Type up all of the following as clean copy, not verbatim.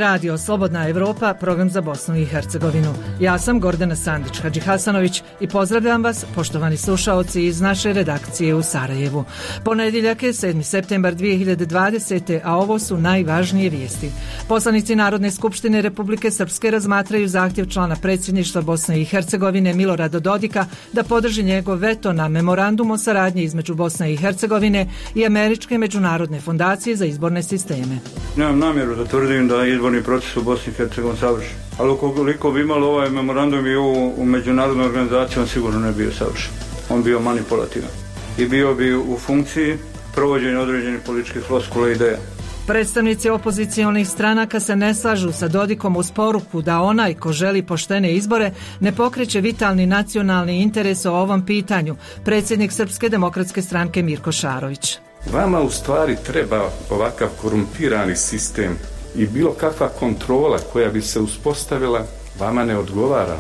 Radio Slobodna Evropa, program za Bosnu i Hercegovinu. Ja sam Gordana Sandić-Hadžihasanović i pozdravljam vas, poštovani slušaoci iz naše redakcije u Sarajevu. Ponedjeljak je 7. septembar 2020. a ovo su najvažnije vijesti. Poslanici Narodne skupštine Republike Srpske razmatraju zahtjev člana predsjedništva Bosne i Hercegovine Milorada Dodika da podrži njegov veto na memorandum o saradnji između Bosne i Hercegovine i Američke međunarodne fondacije za izborne sisteme. Nemam namjeru da tvrdim da je izborni proces u Bosni i Hercegovini savršen. Ali ukoliko bi imalo ovaj memorandum i u međunarodnoj organizaciji, on sigurno ne bio savršen. On bio manipulativan. I bio bi u funkciji provođenja određenih političkih floskula i ideja. Predstavnici opozicionih stranaka se ne slažu sa Dodikom uz poruku da onaj ko želi poštene izbore ne pokreće vitalni nacionalni interes o ovom pitanju. Predsjednik Srpske demokratske stranke Mirko Šarović. Vama u stvari treba ovakav korumpirani sistem i bilo kakva kontrola koja bi se uspostavila vama ne odgovara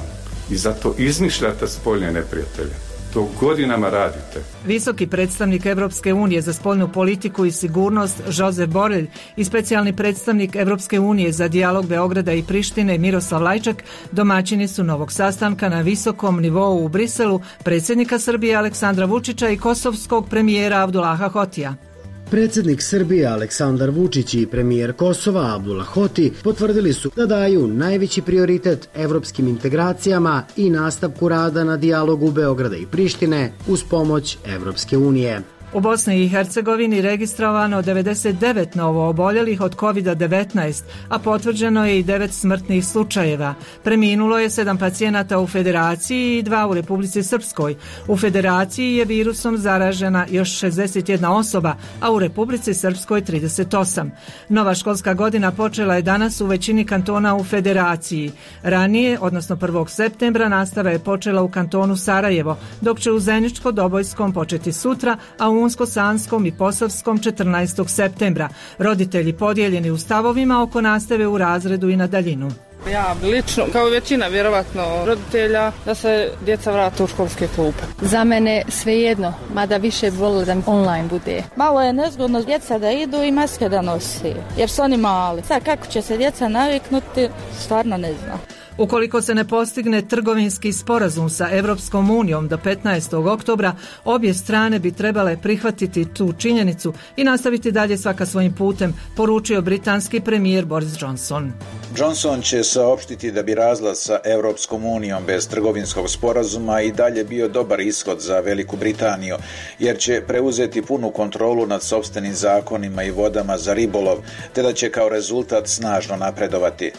i zato izmišljate spoljne neprijatelje. To godinama radite. Visoki predstavnik Evropske unije za spoljnu politiku i sigurnost Josep Borrell i specijalni predstavnik Evropske unije za dijalog Beograda i Prištine Miroslav Lajčak domaćini su novog sastanka na visokom nivou u Briselu predsjednika Srbije Aleksandra Vučića i kosovskog premijera Abdullaha Hotija. Predsjednik Srbije Aleksandar Vučić i premijer Kosova Abdullah Hoti potvrdili su da daju najveći prioritet evropskim integracijama i nastavku rada na dijalogu Beograda i Prištine uz pomoć Evropske unije. U Bosni i Hercegovini registrovano 99 novooboljelih od COVID-19, a potvrđeno je i 9 smrtnih slučajeva. Preminulo je 7 pacijenata u Federaciji i 2 u Republici Srpskoj. U Federaciji je virusom zaražena još 61 osoba, a u Republici Srpskoj 38. Nova školska godina počela je danas u većini kantona u Federaciji. Ranije, odnosno 1. septembra, nastava je počela u kantonu Sarajevo, dok će u Zeničko-Dobojskom početi sutra, a u Unsko-Sanskom i Posavskom 14. septembra. Roditelji podijeljeni u stavovima oko nastave u razredu i na daljinu. Ja lično, kao većina vjerovatno roditelja, da se djeca vrate u školske klupe. Za mene svejedno, mada više volim da online bude. Malo je nezgodno djeca da idu i maske da nosi, jer su oni mali. Sad kako će se djeca naviknuti, stvarno ne znam. Ukoliko se ne postigne trgovinski sporazum sa Evropskom unijom do 15. oktobra, obje strane bi trebale prihvatiti tu činjenicu i nastaviti dalje svaka svojim putem, poručio britanski premijer Boris Johnson. Johnson će saopštiti da bi razlaz sa Evropskom unijom bez trgovinskog sporazuma i dalje bio dobar ishod za Veliku Britaniju, jer će preuzeti punu kontrolu nad sopstvenim zakonima i vodama za ribolov, te da će kao rezultat snažno napredovati.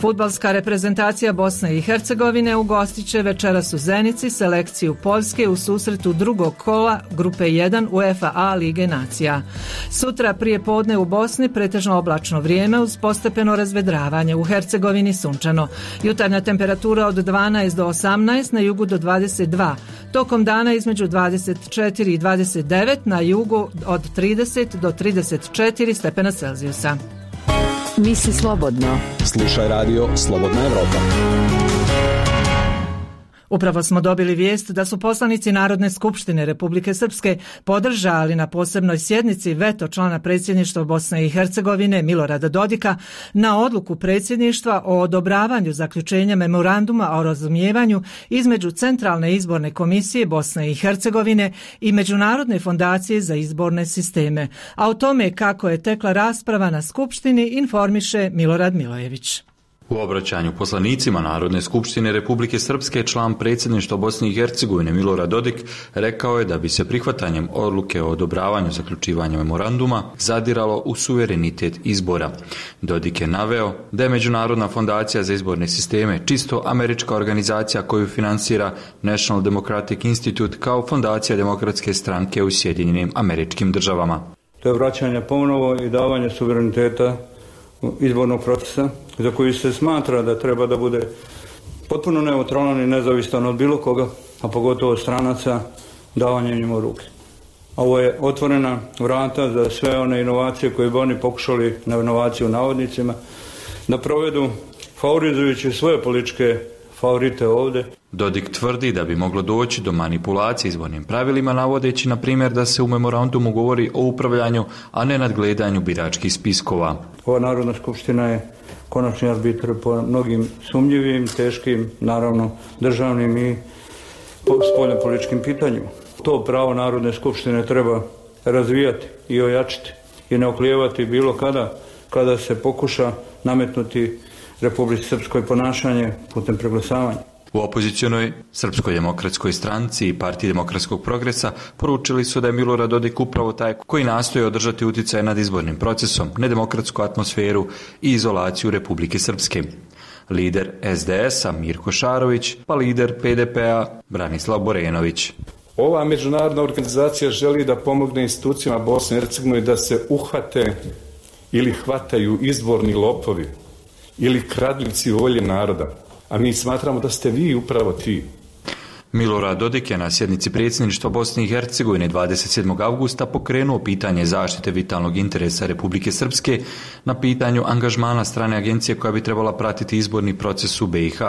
Fudbalska reprezentacija Bosne i Hercegovine ugostit će večeras u Zenici selekciju Poljske u susretu drugog kola grupe 1 UEFA A Lige nacija. Sutra prije podne u Bosni pretežno oblačno vrijeme uz postepeno razvedravanje, u Hercegovini sunčano. Jutarnja temperatura od 12 do 18, na jugu do 22. Tokom dana između 24 i 29, na jugu od 30 do 34 stepena Celzijusa. Misli slobodno. Slušaj radio Slobodna Evropa. Upravo smo dobili vijest da su poslanici Narodne skupštine Republike Srpske podržali na posebnoj sjednici veto člana predsjedništva Bosne i Hercegovine Milorada Dodika na odluku predsjedništva o odobravanju zaključenja memoranduma o razumijevanju između Centralne izborne komisije Bosne i Hercegovine i Međunarodne fondacije za izborne sisteme. A o tome kako je tekla rasprava na skupštini informiše Milorad Milojević. U obraćanju poslanicima Narodne skupštine Republike Srpske član predsjedništva Bosne i Hercegovine Milorad Dodik rekao je da bi se prihvatanjem odluke o odobravanju zaključivanja memoranduma zadiralo u suverenitet izbora. Dodik je naveo da je Međunarodna fondacija za izborne sisteme čisto američka organizacija koju finansira National Democratic Institute kao fondacija demokratske stranke u Sjedinjenim Američkim Državama. To je vraćanje ponovo i davanje suvereniteta izbornog procesa za koji se smatra da treba da bude potpuno neutralan i nezavisan od bilo koga, a pogotovo stranaca, davanjem njima u ruke. Ovo je otvorena vrata za sve one inovacije koje bi oni pokušali, na inovaciju u navodnicima, da provedu favorizujući svoje političke favorite ovdje. Dodik tvrdi da bi moglo doći do manipulacije izbornim pravilima, navodeći na primjer da se u memorandumu govori o upravljanju, a ne nadgledanju biračkih spiskova. Ova Narodna skupština je konačni arbitr po mnogim sumnjivim, teškim, naravno državnim i spoljnopolitičkim pitanjima. To pravo Narodne skupštine treba razvijati i ojačiti i ne oklijevati bilo kada se pokuša nametnuti Republici Srpskoj ponašanje putem preglasavanja. U opozicionoj Srpskoj demokratskoj stranci i Partiji demokratskog progresa poručili su da je Milorad Dodik upravo taj koji nastoji održati utjecaj nad izbornim procesom, nedemokratsku atmosferu i izolaciju Republike Srpske. Lider SDS-a Mirko Šarović, pa lider PDP-a Branislav Borenović. Ova međunarodna organizacija želi da pomogne institucijama Bosne i Hercegovine da se uhvate ili hvataju izborni lopovi ili kradljivci volje naroda. A mi smatramo da ste vi upravo ti. Milorad Dodik je na sjednici predsjedništva Bosne i Hercegovine 27. avgusta pokrenuo pitanje zaštite vitalnog interesa Republike Srpske na pitanju angažmana strane agencije koja bi trebala pratiti izborni proces u BiH.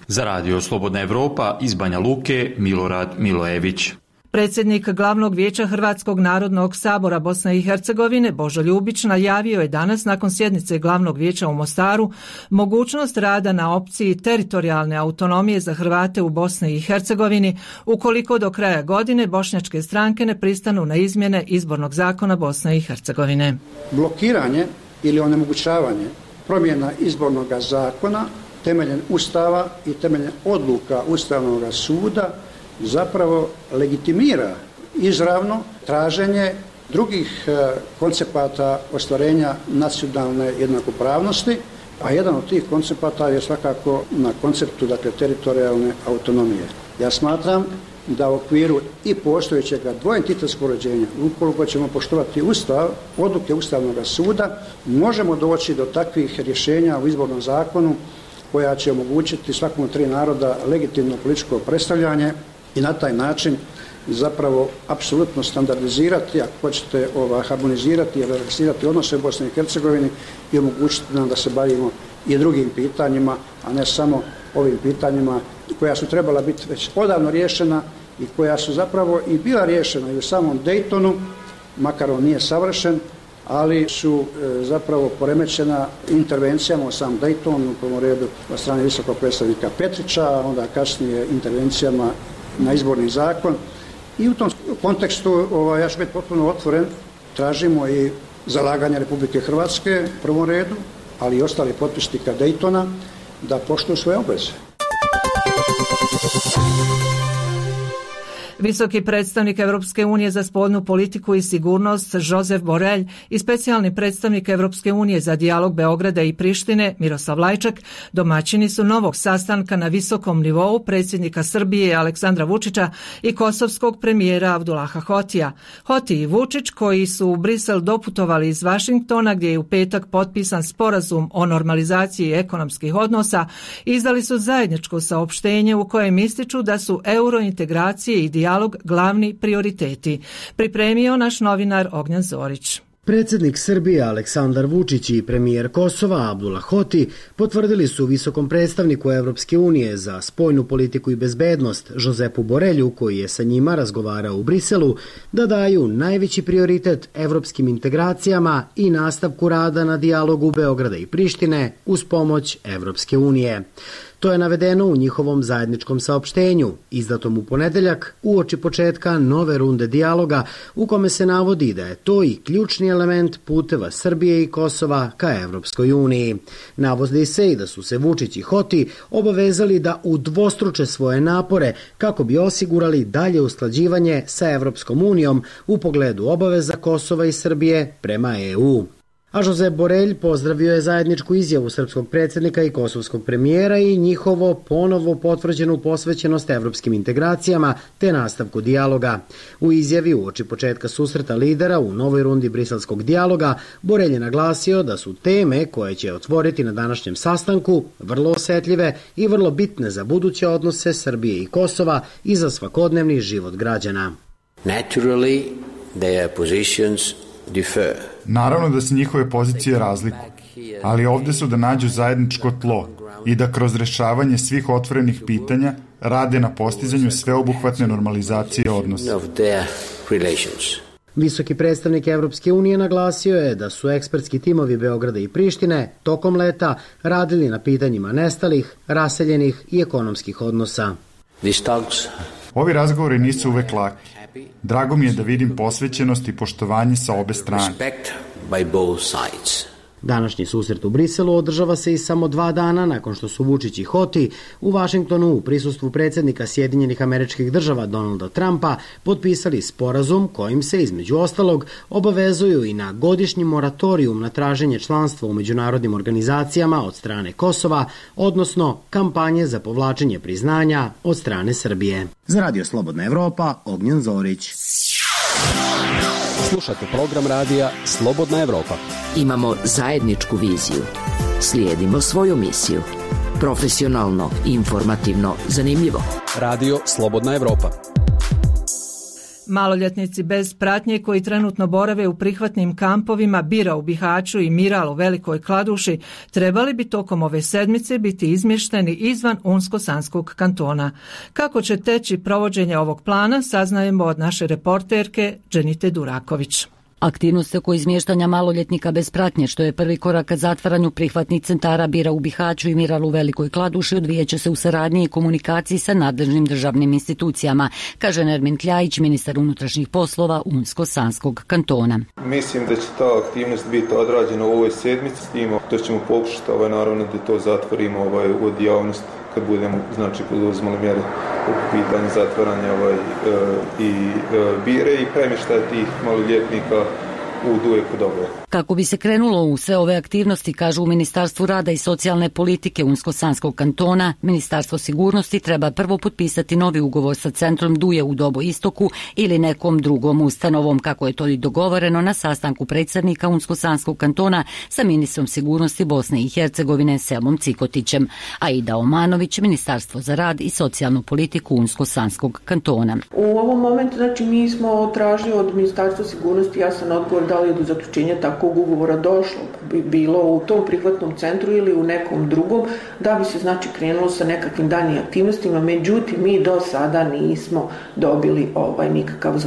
Za Radio Slobodna Evropa iz Banja Luke Milorad Milojević. Predsjednik Glavnog vijeća Hrvatskog narodnog sabora Bosne i Hercegovine Božo Ljubić najavio je danas nakon sjednice Glavnog vijeća u Mostaru mogućnost rada na opciji teritorijalne autonomije za Hrvate u Bosni i Hercegovini ukoliko do kraja godine bošnjačke stranke ne pristanu na izmjene izbornog zakona Bosne i Hercegovine. Blokiranje ili onemogućavanje promjena izbornog zakona temeljem Ustava i temeljem odluka Ustavnog suda zapravo legitimira izravno traženje drugih koncepata ostvarenja nacionalne jednakopravnosti, a jedan od tih koncepata je svakako na konceptu teritorijalne autonomije. Ja smatram da u okviru i postojećeg dvoentitetskog uređenja, ukoliko ćemo poštovati Ustav, odluke Ustavnog suda, možemo doći do takvih rješenja u izbornom zakonu koja će omogućiti svakom od tri naroda legitimno političko predstavljanje i na taj način zapravo apsolutno standardizirati, ako hoćete harmonizirati i relaksirati odnose u Bosni i Hercegovini i omogućiti nam da se bavimo i drugim pitanjima, a ne samo ovim pitanjima koja su trebala biti već odavno riješena i koja su zapravo i bila riješena i u samom Daytonu, makar on nije savršen, ali su zapravo poremećena intervencijama u sam Dayton, u prvom redu od strane visokog predstavnika Petrića, a onda kasnije intervencijama na izborni zakon. I u tom kontekstu ja ću biti potpuno otvoren, tražimo i zalaganje Republike Hrvatske u prvom redu, ali i ostali potpisnika Daytona da poštuju svoje obveze. Visoki predstavnik Europske unije za spoljnu politiku i sigurnost Josep Borrell i specijalni predstavnik Europske unije za dijalog Beograda i Prištine Miroslav Lajčak domaćini su novog sastanka na visokom nivou predsjednika Srbije Aleksandra Vučića i kosovskog premijera Abdullaha Hotija. Hoti i Vučić, koji su u Brisel doputovali iz Vašingtona gdje je u petak potpisan sporazum o normalizaciji ekonomskih odnosa, izdali su zajedničko saopštenje u kojem ističu da su eurointegracije i dijalog glavni prioriteti. Pripremio naš novinar Ognjan Zorić. Predsjednik Srbije Aleksandar Vučić i premijer Kosova Abdullah Hoti potvrdili su visokom predstavniku Evropske unije za spoljnu politiku i bezbednost Josepu Borelju, koji je sa njima razgovarao u Briselu, da daju najveći prioritet evropskim integracijama i nastavku rada na dijalogu Beograda i Prištine uz pomoć Evropske unije. To je navedeno u njihovom zajedničkom saopštenju, izdatom u ponedeljak uoči početka nove runde dijaloga, u kome se navodi da je to i ključni element puteva Srbije i Kosova ka Evropskoj uniji. Navodi se i da su se Vučić i Hoti obavezali da udvostruče svoje napore kako bi osigurali dalje usklađivanje sa Evropskom unijom u pogledu obaveza Kosova i Srbije prema EU. A Josep Borrell pozdravio je zajedničku izjavu srpskog predsjednika i kosovskog premijera i njihovo ponovo potvrđenu posvećenost evropskim integracijama te nastavku dijaloga. U izjavi uoči početka susreta lidera u novoj rundi briselskog dijaloga, Borrell je naglasio da su teme koje će otvoriti na današnjem sastanku vrlo osjetljive i vrlo bitne za buduće odnose Srbije i Kosova i za svakodnevni život građana. Naturally, their positions differ. Naravno da se njihove pozicije razlikuju, ali ovdje su da nađu zajedničko tlo i da kroz rješavanje svih otvorenih pitanja rade na postizanju sveobuhvatne normalizacije odnosa. Visoki predstavnik Evropske unije naglasio je da su ekspertski timovi Beograda i Prištine tokom leta radili na pitanjima nestalih, raseljenih i ekonomskih odnosa. Ovi razgovori nisu uvek laki. Drago mi je da vidim posvećenost i poštovanje sa obe strane. Današnji susret u Briselu održava se i samo 2 dana nakon što su Vučić i Hoti u Vašingtonu u prisustvu predsjednika Sjedinjenih Američkih Država Donalda Trumpa potpisali sporazum kojim se između ostalog obavezuju i na godišnji moratorijum na traženje članstva u međunarodnim organizacijama od strane Kosova, odnosno kampanje za povlačenje priznanja od strane Srbije. Za Radio Slobodna Evropa, Ognjen Zorić. Slušate program radija Slobodna Evropa. Imamo zajedničku viziju. Slijedimo svoju misiju. Profesionalno, informativno, zanimljivo. Radio Slobodna Evropa. Maloljetnici bez pratnje koji trenutno borave u prihvatnim kampovima Bira u Bihaću i Miral u Velikoj Kladuši trebali bi tokom ove sedmice biti izmješteni izvan Unsko-Sanskog kantona. Kako će teći provođenje ovog plana saznajemo od naše reporterke Dženite Duraković. Aktivnost oko izmještanja maloljetnika bez pratnje, što je prvi korak ka zatvaranju prihvatnih centara Bira u Bihaću i Miral u Velikoj Kladuši, odvijeće se u saradnji i komunikaciji sa nadležnim državnim institucijama, kaže Nermin Kljajić, ministar unutrašnjih poslova Unsko-Sanskog kantona. Mislim da će ta aktivnost biti odrađena u ovoj sedmici, s tim da ćemo pokušati naravno da to zatvorimo od javnosti kad budemo poduzimali mjere u pitanju zatvaranja i Bire i premještaja tih maloljetnika u Dujeku Dobre. Kako bi se krenulo u sve ove aktivnosti, kažu u Ministarstvu rada i socijalne politike Unsko-Sanskog kantona, Ministarstvo sigurnosti treba prvo potpisati novi ugovor sa centrom Duje u Dobo Istoku ili nekom drugom ustanovom, kako je to i dogovoreno na sastanku predsjednika Unsko-Sanskog kantona sa ministrom sigurnosti Bosne i Hercegovine Selmom Cikotićem. Aida Omanović, Ministarstvo za rad i socijalnu politiku Unsko-Sanskog kantona. U ovom momentu, mi smo tražili od Ministarstva sigurnosti jasan odgovor da li je do zaključenja takvog ugovora došlo, bilo u tom prihvatnom centru ili u nekom drugom, da bi se krenulo sa nekakvim daljnjim aktivnostima, međutim mi do sada nismo dobili nikakav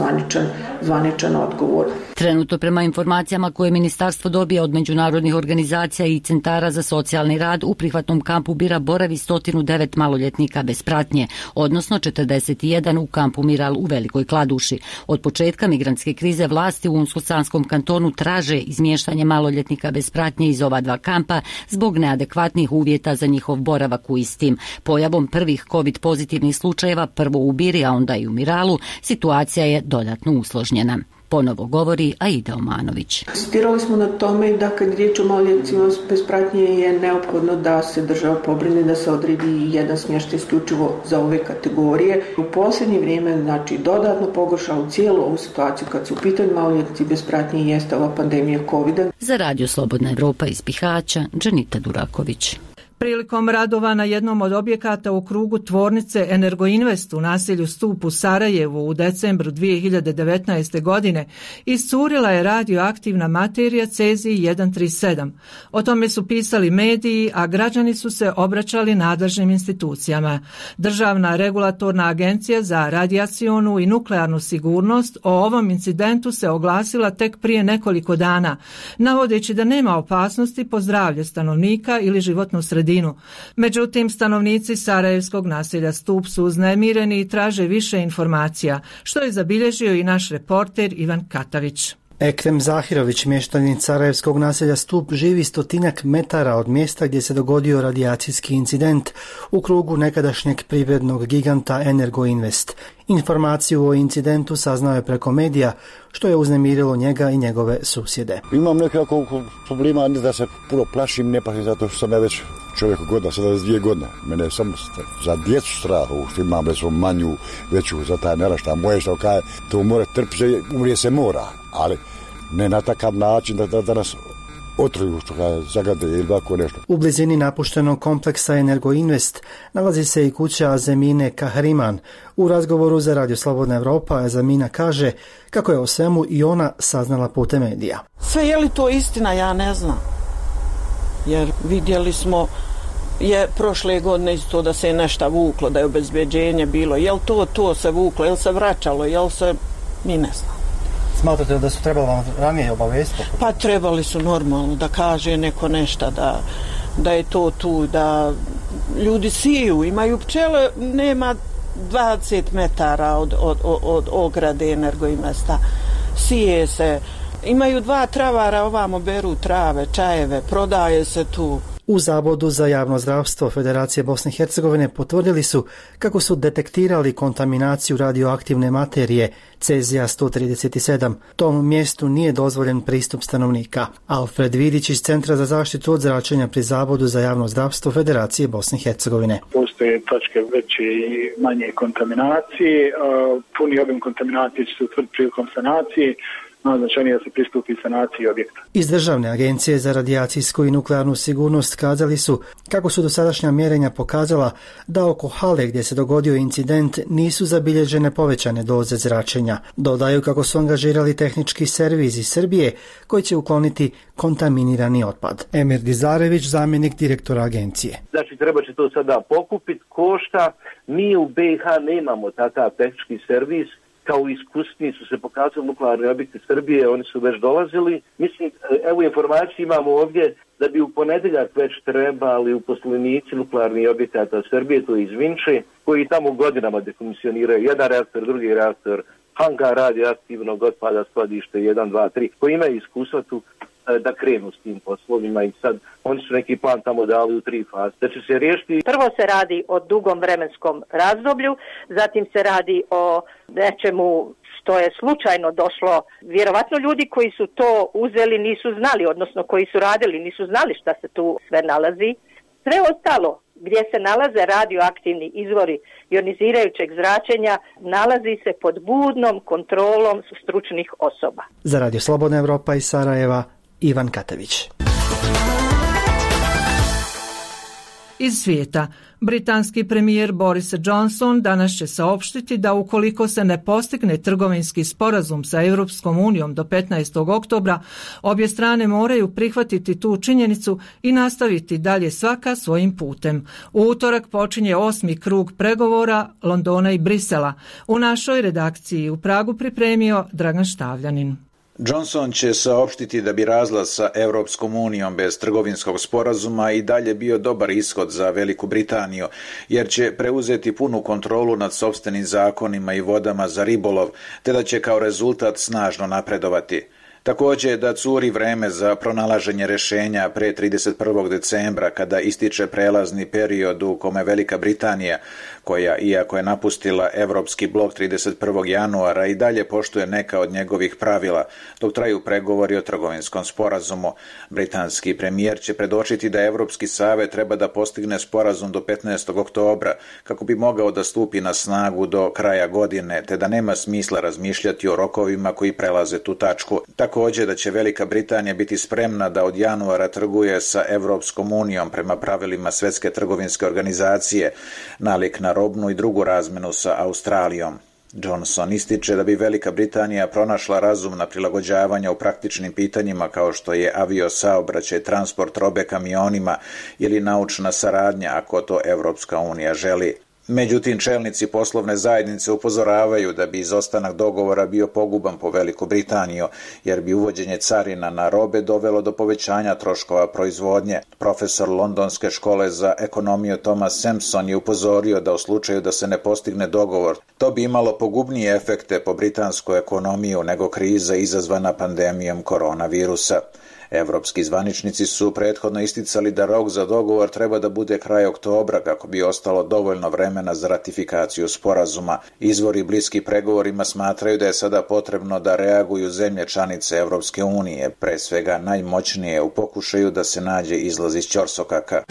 zvaničan odgovor. Trenutno prema informacijama koje ministarstvo dobija od međunarodnih organizacija i centara za socijalni rad u prihvatnom kampu Bira boravi 109 maloljetnika bez pratnje, odnosno 41 u kampu Miral u Velikoj Kladuši. Od početka migrantske krize vlasti u Unsko-Sanskom kantonu traže izmještanje maloljetnika bez pratnje iz ova 2 kampa zbog neadekvatnih uvjeta za njihov boravak u istim. Pojavom prvih COVID pozitivnih slučajeva, prvo u Biri, a onda i u Miralu, situacija je dodatno usložnjena. Ponovo govori Aida Omanović. Insistirali smo na tome da kad riječ o maloljetnicima bez pratnje je neophodno da se država pobrine da se odredi jedan smještaj isključivo za ove kategorije. U posljednje vrijeme dodatno pogoršalo cijelu ovu situaciju kad su u pitanju maloljetnici bez pratnje i jeste ova pandemija COVID-a. Za Radio Slobodna Evropa iz Bihaća, Dženita Duraković. Prilikom radova na jednom od objekata u krugu tvornice Energoinvest u naselju Stup u Sarajevu u decembru 2019. godine iscurila je radioaktivna materija cezij 137. O tome su pisali mediji, a građani su se obraćali nadležnim institucijama. Državna regulatorna agencija za radijacionu i nuklearnu sigurnost o ovom incidentu se oglasila tek prije nekoliko dana, navodeći da nema opasnosti po zdravlje stanovnika ili životnu sredinu. Međutim, stanovnici sarajevskog naselja Stup su uznemireni i traže više informacija, što je zabilježio i naš reporter Ivan Katavić. Ekrem Zahirović, mještanin sarajevskog naselja Stup, živi 100 metara od mjesta gdje se dogodio radijacijski incident u krugu nekadašnjeg privrednog giganta Energoinvest. Informaciju o incidentu saznao je preko medija, što je uznemirilo njega i njegove susjede. Imam nekako problema, ne da se puno plašim, ne plašim zato što sam ja već čovjek godina, 72 godine. Mene je samo za djecu strah, što imam manju, veću za taj naraštaj. Moje što kaže, to mora trpiti, umrije se mora, ali ne na takav način da nas otruju, što kaže, zagade ili ovako nešto. U blizini napuštenog kompleksa Energoinvest nalazi se i kuća Azemine Kahriman. U razgovoru za Radio Slobodna Evropa Azemina kaže kako je o svemu i ona saznala putem medija. Sve je li to istina, ja ne znam. Jer vidjeli smo prošle godine isto da se je nešto vuklo, da je obezbeđenje bilo. Je li to se vuklo, je li se vraćalo, je li se... Mi ne znam. Smatrate da su trebali vam ranije obavestiti? Pa trebali su normalno da kaže neko nešto, da je to tu, da ljudi siju, imaju pčele, nema 20 metara od ograde Energoinvesta, sije se, imaju 2 travara, ovamo beru trave, čajeve, prodaje se tu. U Zavodu za javno zdravstvo Federacije Bosne i Hercegovine potvrdili su kako su detektirali kontaminaciju radioaktivne materije Cezija 137. Tom mjestu nije dozvoljen pristup stanovnika. Alfred Vidić iz Centra za zaštitu od zračenja pri Zavodu za javno zdravstvo Federacije Bosne i Hercegovine. Postoje točke veće i manje kontaminacije. Puni obim kontaminacije će se utvrditi prilikom sanacije. Najznačajnije da se pristupi sanaciji objekta. Iz Državne agencije za radijacijsku i nuklearnu sigurnost kazali su kako su dosadašnja mjerenja pokazala da oko hale gdje se dogodio incident nisu zabilježene povećane doze zračenja. Dodaju kako su angažirali tehnički servis iz Srbije koji će ukloniti kontaminirani otpad. Emir Dizarević, zamjenik direktora agencije. Znači treba će to sada pokupiti, košta. Mi u BiH nemamo takav tehnički servis. Kao iskusni su se pokazali nuklearni objekti Srbije, oni su već dolazili. Mislim, evo informaciju imamo ovdje da bi u ponedjeljak već trebali uposlenici nuklearnih objekata Srbije, to je iz Vinče, koji tamo godinama dekomisioniraju jedan reaktor, drugi reaktor, hangar radioaktivnog otpada, skladište 1, 2, 3, koji imaju iskustva tu da krenu s tim poslovima i sad oni su neki plan tamo dali u 3 faze. Da će se riješiti. Prvo se radi o dugom vremenskom razdoblju, zatim se radi o nečemu što je slučajno došlo. Vjerovatno ljudi koji su to uzeli nisu znali, odnosno koji su radili nisu znali šta se tu sve nalazi. Sve ostalo gdje se nalaze radioaktivni izvori ionizirajućeg zračenja nalazi se pod budnom kontrolom stručnih osoba. Za Radio Slobodna Evropa iz Sarajeva, Ivan Katević. Iz svijeta, britanski premijer Boris Johnson danas će saopštiti da ukoliko se ne postigne trgovinski sporazum sa Europskom unijom do 15. oktobra, obje strane moraju prihvatiti tu činjenicu i nastaviti dalje svaka svojim putem. U utorak počinje 8. krug pregovora Londona i Brisela. U našoj redakciji u Pragu pripremio Dragan Štavljanin. Johnson će saopštiti da bi razlaz sa Europskom unijom bez trgovinskog sporazuma i dalje bio dobar ishod za Veliku Britaniju, jer će preuzeti punu kontrolu nad sopstvenim zakonima i vodama za ribolov, te da će kao rezultat snažno napredovati. Također da curi vreme za pronalaženje rješenja pre 31. decembra kada ističe prelazni period u kome Velika Britanija, koja iako je napustila Evropski blok 31. januara i dalje poštuje neka od njegovih pravila, dok traju pregovori o trgovinskom sporazumu. Britanski premijer će predočiti da Evropski savet treba da postigne sporazum do 15. oktobra kako bi mogao da stupi na snagu do kraja godine, te da nema smisla razmišljati o rokovima koji prelaze tu tačku. Također da će Velika Britanija biti spremna da od januara trguje sa Evropskom unijom prema pravilima Svjetske trgovinske organizacije, nalik na robnu i drugu razmenu sa Australijom. Johnson ističe da bi Velika Britanija pronašla razumna prilagođavanja u praktičnim pitanjima kao što je aviosaobraćaj, transport robe kamionima ili naučna saradnja ako to Evropska unija želi. Međutim, čelnici poslovne zajednice upozoravaju da bi izostanak dogovora bio poguban po Veliku Britaniju, jer bi uvođenje carina na robe dovelo do povećanja troškova proizvodnje. Profesor Londonske škole za ekonomiju Thomas Sampson je upozorio da u slučaju da se ne postigne dogovor, to bi imalo pogubnije efekte po britansku ekonomiju nego kriza izazvana pandemijom koronavirusa. Evropski zvaničnici su prethodno isticali da rok za dogovor treba da bude kraj oktobra kako bi ostalo dovoljno vremena za ratifikaciju sporazuma. Izvori bliski pregovorima smatraju da je sada potrebno da reaguju zemlje članice Evropske unije, pre svega najmoćnije u pokušaju da se nađe izlaz iz ćorsokaka.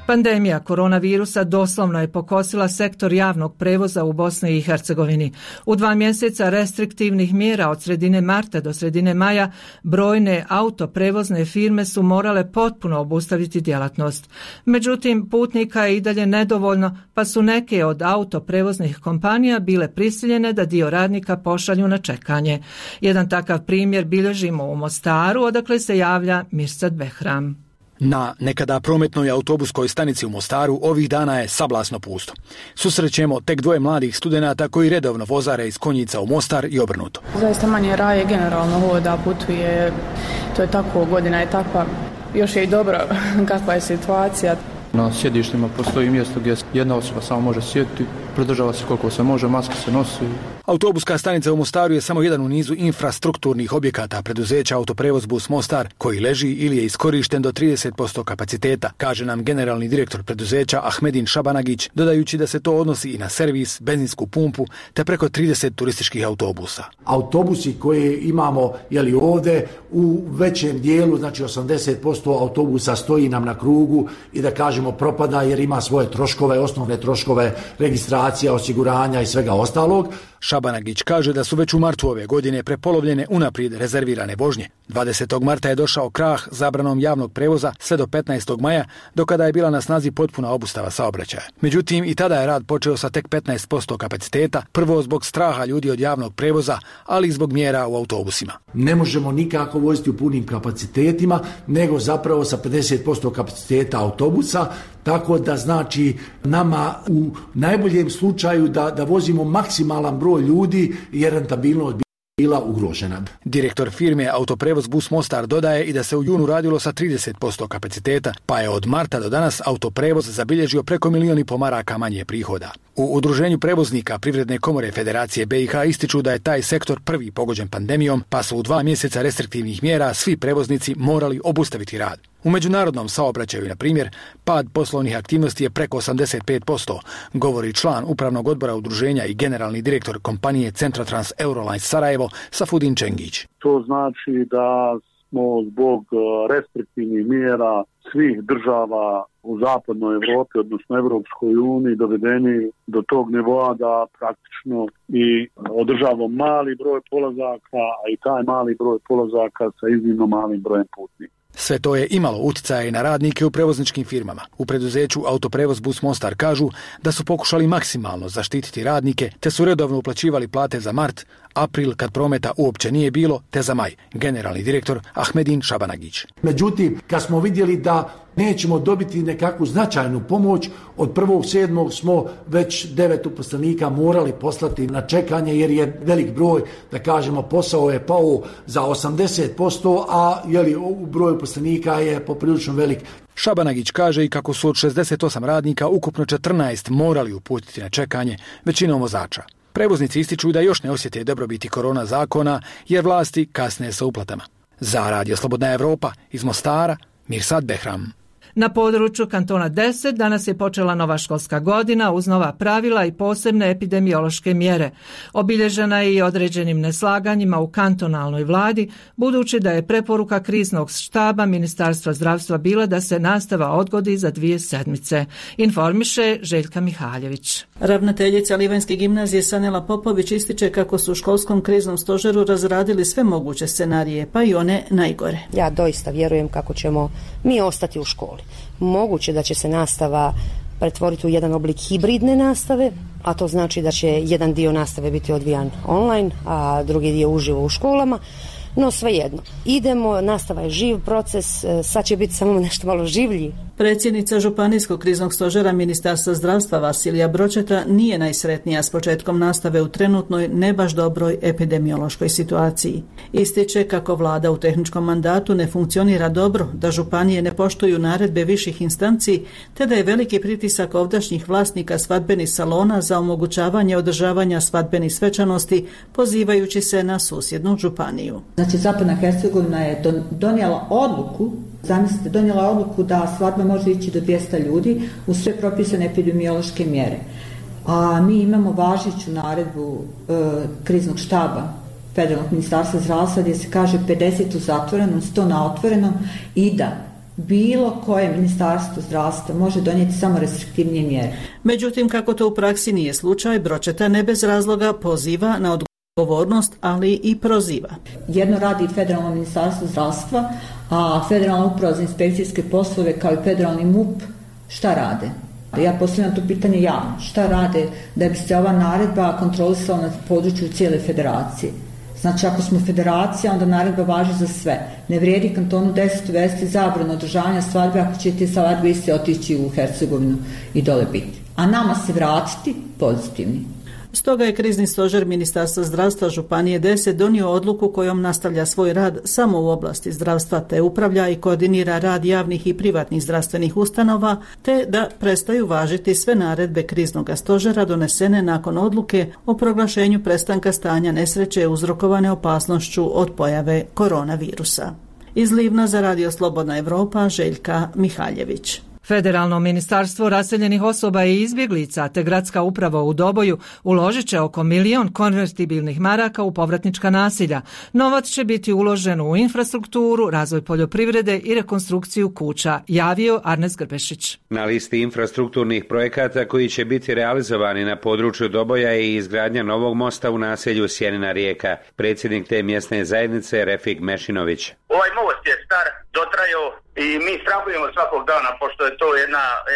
Pandemija koronavirusa doslovno je pokosila sektor javnog prevoza u Bosni i Hercegovini. U 2 mjeseca restriktivnih mjera od sredine marta do sredine maja brojne autoprevozne firme su morale potpuno obustaviti djelatnost. Međutim, putnika je i dalje nedovoljno, pa su neke od autoprevoznih kompanija bile prisiljene da dio radnika pošalju na čekanje. Jedan takav primjer bilježimo u Mostaru, odakle se javlja Mirsad Behram. Na nekada prometnoj autobuskoj stanici u Mostaru ovih dana je sablasno pusto. Susrećemo tek dvoje mladih studenata koji redovno vozare iz Konjica u Mostar i obrnuto. Zaista manje raje generalno hoda, putuje, to je tako, godina je takva. Još je i dobro kakva je situacija. Na sjedištima postoji mjesto gdje jedna osoba samo može sjediti, pridržava se koliko se može, maske se nosi. Autobuska stanica u Mostaru je samo jedan u nizu infrastrukturnih objekata preduzeća Autoprevoz Bus Mostar, koji leži ili je iskorišten do 30% kapaciteta, kaže nam generalni direktor preduzeća Ahmedin Šabanagić, dodajući da se to odnosi i na servis, benzinsku pumpu, te preko 30 turističkih autobusa. Autobusi koje imamo ovdje u većem dijelu, znači 80% autobusa stoji nam na krugu i da kažemo propada jer ima svoje troškove, osnovne troškove registracija, osiguranja i svega ostalog. Šabanagić kaže da su već u martu ove godine prepolovljene unaprijed rezervirane vožnje. 20. marta je došao krah zabranom javnog prevoza sve do 15. maja, do kada je bila na snazi potpuna obustava saobraćaja. Međutim, i tada je rad počeo sa tek 15% kapaciteta, prvo zbog straha ljudi od javnog prevoza, ali i zbog mjera u autobusima. Ne možemo nikako voziti u punim kapacitetima, nego zapravo sa 50% kapaciteta autobusa, tako da znači nama u najboljem slučaju da vozimo maksimalan broj ljudi jer rentabilnost bila ugrožena. Direktor firme Autoprevoz Bus Mostar dodaje i da se u junu radilo sa 30% kapaciteta, pa je od marta do danas Autoprevoz zabilježio preko 1,5 milijuna maraka manje prihoda. U Udruženju prevoznika Privredne komore Federacije BiH ističu da je taj sektor prvi pogođen pandemijom, pa su u 2 mjeseca restriktivnih mjera svi prevoznici morali obustaviti rad. U međunarodnom saobraćaju, na primjer, pad poslovnih aktivnosti je preko 85%, govori član upravnog odbora udruženja i generalni direktor kompanije Centrotrans Eurolines Sarajevo, Safudin Čengić. To znači da smo zbog restriktivnih mjera svih država u zapadnoj Evropi, odnosno Evropskoj uniji, dovedeni do tog nivoa da praktično i održavamo mali broj polazaka, a i taj mali broj polazaka sa iznimno malim brojem putnika. Sve to je imalo utjecaja i na radnike u prevozničkim firmama. U preduzeću Autoprevoz Bus Mostar kažu da su pokušali maksimalno zaštititi radnike, te su redovno uplaćivali plate za mart, april kad prometa uopće nije bilo, te za maj. Generalni direktor Ahmedin Šabanagić. Međutim, kad smo vidjeli da nećemo dobiti nekakvu značajnu pomoć, od 1.7. smo već 9 uposlenika morali poslati na čekanje jer je velik broj, da kažemo, posao je pao za 80%, a broj uposlenika je poprilično velik. Šabanagić kaže i kako su od 68 radnika ukupno 14 morali uputiti na čekanje, većinom vozača. Prevoznici ističu da još ne osjete dobrobiti korona zakona jer vlasti kasne sa uplatama. Za Radio Slobodna Evropa iz Mostara, Mirsad Behram. Na području kantona 10 danas je počela nova školska godina uz nova pravila i posebne epidemiološke mjere. Obilježena je i određenim neslaganjima u kantonalnoj vladi, budući da je preporuka kriznog štaba Ministarstva zdravstva bila da se nastava odgodi za 2 sedmice. Informiše Željka Mihaljević. Ravnateljica Livanjske gimnazije Sanela Popović ističe kako su u školskom kriznom stožeru razradili sve moguće scenarije, pa i one najgore. Ja doista vjerujem kako ćemo mi ostati u školi. Moguće da će se nastava pretvoriti u jedan oblik hibridne nastave, a to znači da će jedan dio nastave biti odvijan online, a drugi dio uživo u školama. No svejedno, idemo, nastava je živ proces, sad će biti samo nešto malo življi. Predsjednica Županijskog kriznog stožera Ministarstva zdravstva Vasilija Bročeta nije najsretnija s početkom nastave u trenutnoj ne baš dobroj epidemiološkoj situaciji. Ističe kako vlada u tehničkom mandatu ne funkcionira dobro, da županije ne poštuju naredbe viših instanci, te da je veliki pritisak ovdašnjih vlasnika svadbenih salona za omogućavanje održavanja svadbenih svečanosti, pozivajući se na susjednu županiju. Znači, Zapadna Hercegovina je donijela odluku da svadba može ići do 200 ljudi uz sve propisane epidemiološke mjere. A mi imamo važeću naredbu kriznog štaba Federalnog ministarstva zdravstva gdje se kaže 50 u zatvorenom, 100 na otvorenom i da bilo koje ministarstvo zdravstva može donijeti samo restriktivnije mjere. Međutim, kako to u praksi nije slučaj, Bročeta ne bez razloga poziva na odgovornost, ali i proziva. Jedno radi Federalno ministarstvo zdravstva, a Federalna uprava za inspekcijske poslove kao i Federalni MUP šta rade? Ja postavljam to pitanje javno. Šta rade da bi se ova naredba kontrolisala na području cijele federacije? Znači ako smo federacija, onda naredba važi za sve. Ne vrijedi kantonu 10 uvesti zabranu održavanja svadbe ako će te svadbe iste otići u Hercegovinu i dole biti. A nama se vratiti pozitivni. Stoga je krizni stožer Ministarstva zdravstva Županije 10 donio odluku kojom nastavlja svoj rad samo u oblasti zdravstva te upravlja i koordinira rad javnih i privatnih zdravstvenih ustanova te da prestaju važiti sve naredbe kriznog stožera donesene nakon odluke o proglašenju prestanka stanja nesreće uzrokovane opasnošću od pojave koronavirusa. Iz Livna za Radio Slobodna Evropa Željka Mihaljević. Federalno ministarstvo raseljenih osoba i izbjeglica te gradska uprava u Doboju uložit će oko 1 milion konvertibilnih maraka u povratnička nasilja. Novac će biti uložen u infrastrukturu, razvoj poljoprivrede i rekonstrukciju kuća, javio Arnes Grbešić. Na listi infrastrukturnih projekata koji će biti realizovani na području Doboja je i izgradnja novog mosta u naselju Sjenina Rijeka. Predsjednik te mjesne zajednice Refik Mešinović. Ovaj most je star, dotrajao i mi strahujemo svakog dana, pošto je to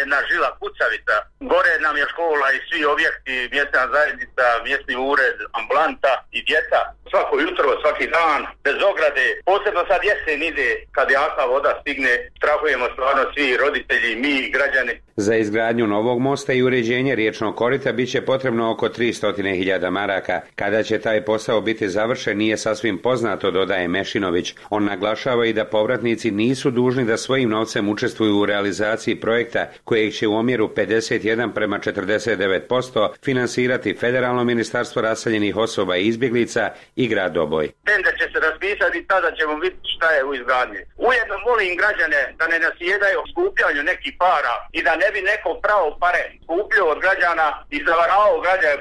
jedna žila kucavica. Gore nam je škola i svi objekti, mjesna zajednica, mjesni ured, ambulanta i djeca. Svako jutro, svaki dan, bez ograde. Posebno sad jesen ide, kad jaka voda stigne, strahujemo stvarno svi roditelji, mi građani. Za izgradnju novog mosta i uređenje riječnog korita bit će potrebno oko 300.000 maraka. Kada će taj posao biti završen nije sasvim poznato, dodaje Mešinović. On naglašava i da povratnici nisu dužni da svojim novcem učestvuju u realizaciji projekta kojeg će u omjeru 51:49% finansirati Federalno ministarstvo raseljenih osoba i izbjeglica i grad Doboj. Tender će se raspisati, tada ćemo vidjeti šta je u izgradnji. Ujedno molim građane da ne nasjedaju skupljanju nekih para i da ne bi neko pravo pare skupljio od građana i zavaravao građane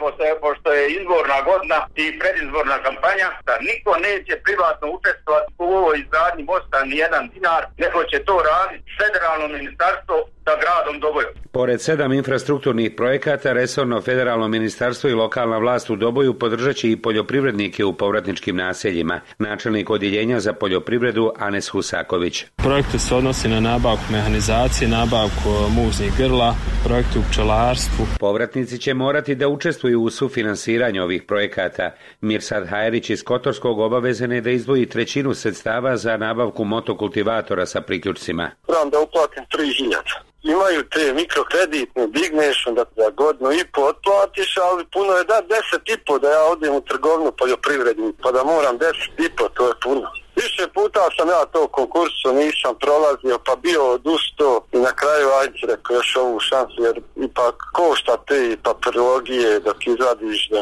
pošto je izborna godina i predizborna kampanja, da niko neće privatno učestvovati u ovoj izgradnji mosta ni jedan dinar, nego će to raditi Federalno ministarstvo sa gradom Dobojom. Pored 7 infrastrukturnih projekata, resorno federalno ministarstvo i lokalna vlast u Doboju podržat će i poljoprivrednike u povratničkim naseljima. Načelnik odjeljenja za poljoprivredu Anes Husaković. Projekte se odnosi na nabavku mehanizacije, nabavku muznih grla, projekte u pčelarstvu. Povratnici će morati da učestvuju u sufinansiranju ovih projekata. Mirsad Hajrić iz Kotorskog obavezan je da izdvoji 1/3 sredstava za nabavku motokultivatora sa priključcima. Trebam da uplatim 3.000. Imaju te mikrokreditne, digneš, onda za godinu i po otplatiš, ali puno je da 10,5 da ja odem u trgovinu poljoprivrednu, pa da moram 10,5, to je puno. Više puta sam ja to konkursu nisam prolazio, pa bio odustao i na kraju ajde rekao još ovu šansu, jer ipak košta te papirologije dok izvadiš, da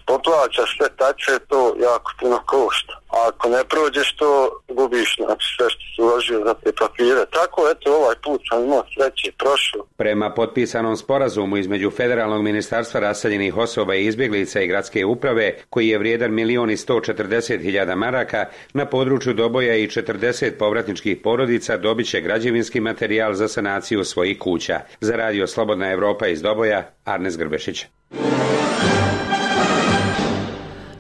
poplaćaš sve tače, to jako puno košta. A ako ne prođeš to, gubiš znači sve što si uložio za te papire. Tako, eto, ovaj put sam imao sreće, prošlo. Prema potpisanom sporazumu između Federalnog ministarstva raseljenih osoba i izbjeglica i gradske uprave, koji je vrijedan 1.140.000 maraka, na području Doboja i 40 povratničkih porodica dobit će građevinski materijal za sanaciju svojih kuća. Za Radio Slobodna Evropa iz Doboja, Arnes Grbešić.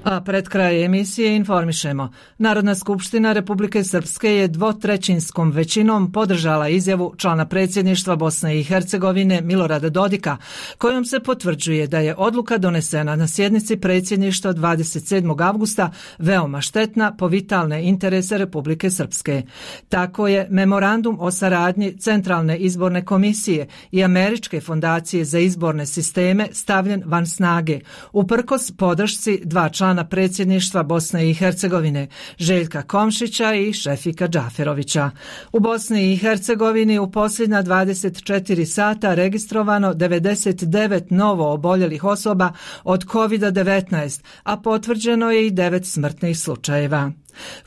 A pred kraj emisije informišemo. Narodna skupština Republike Srpske je 2/3 većinom podržala izjavu člana predsjedništva Bosne i Hercegovine Milorada Dodika, kojom se potvrđuje da je odluka donesena na sjednici predsjedništva 27. avgusta veoma štetna po vitalne interese Republike Srpske. Tako je memorandum o saradnji Centralne izborne komisije i Američke fondacije za izborne sisteme stavljen van snage, uprkos podršci 2 člana predsjedništva Bosne i Hercegovine, Željka Komšića i Šefika Džaferovića. U Bosni i Hercegovini u posljednja 24 sata registrovano 99 novo oboljelih osoba od COVID-19, a potvrđeno je i 9 smrtnih slučajeva.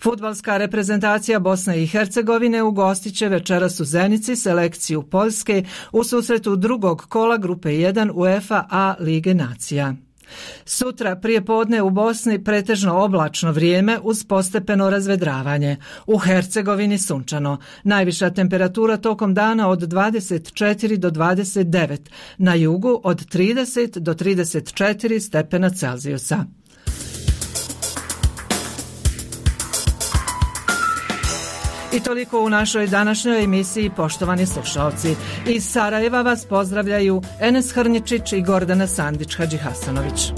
Fudbalska reprezentacija Bosne i Hercegovine ugostit će večeras u Zenici selekciju Poljske u susretu drugog kola grupe 1 UEFA A Lige nacija. Sutra prije podne u Bosni pretežno oblačno vrijeme uz postepeno razvedravanje. U Hercegovini sunčano. Najviša temperatura tokom dana od 24 do 29, na jugu od 30 do 34 stepena Celzijusa. I toliko u našoj današnjoj emisiji, poštovani slušalci. Iz Sarajeva vas pozdravljaju Enes Hrnjičić i Gordana Sandić Hadžihasanović.